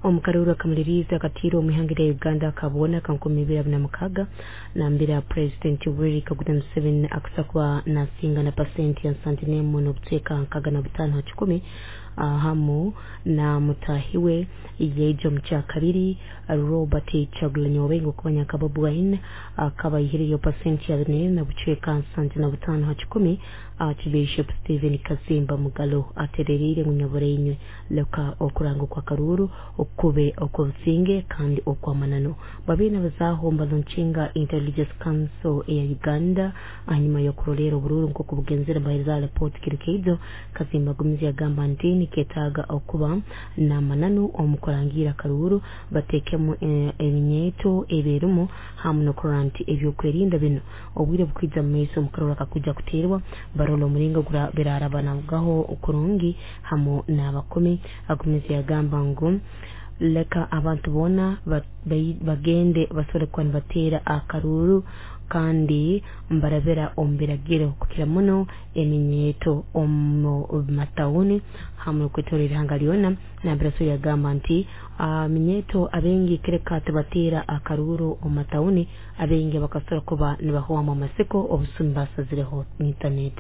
Omu karuuru akamaliriizi akatiirwe omu ihanga lya Uganda akaboona aka 2026, nambere Purezidenti Yoweri Kaguta Museveni akusa kuba nasinga na pasenti ya 71.65 ha kikumi, hamu na mutaahi we yaija omu kyakabiri Robert Kyagulanyi Wabaingi okumanya nka Bobi Wine akaba aihireyo pasenti ya 44.75 ha kikumi. Archbishop Stephen Kazimba Mugalu atereriire ngu nyaburainywe leka okuranga okw'akaruuru kube okw'obusinge kandi okw'amananu. Babaire nabazaaho mbalonkinga Interreligious Council eya Uganda ahanyuma y'okuroleera oburuuru nk'oku bugenzere nibaheereza alipooti kiro kyaijo. Kazimba agumize yagamba nti nikyetaaga okuba n'amananu omu kurangiira akaruuru, bateekemu eminyeeto eberimu hamu n'okurora nti ebyokwerinda binu obwire bukwija mu maiso omu karuuru akakwija kuteerwa barole omuringo birarabanagaho kurungi hamu n'abakumi. Agumize yagamba ngu leka abantu boona bagende basobole kuba nibateera akaruuru kandi mbarabira omu biragiro, kukira muno eminyeeto omu matawuni hamu n'okwetoroora ihanga lyona. Nambere so yagamba nti minyeeto abaingi kireka tibateera akaruuru omu matawuni, abaingi bakasobora kuba nibahwamu amasiko obusumi basazireho internet.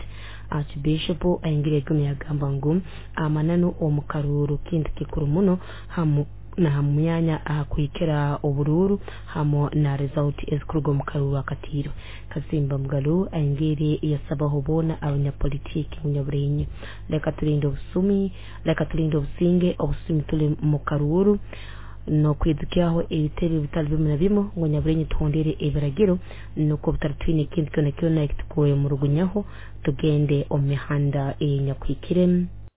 Archbishop ayongera yagumya yagamba ngu amananu omu karuuru kintu kikuru muno, hamu na myanya ahakuhikira oburuuru hamu na result ezikuruga omu karuuru akatiirwe. Kazimba Mugalu ayongere yasabaho boona abanyapolitiiki ngu nyaburainywe leka tulinde obusumi, leka tulinde obusinge, obusumi tuli mu karuuru n'okwidukyaho ebitebe bitali bimu na bimu, ngu nyaburainywe tuhondere ebiragiro nukwo butari ekintu kyona kyona ekitukuwemurugunyaho, tugende omu mihanda enyakuhikire.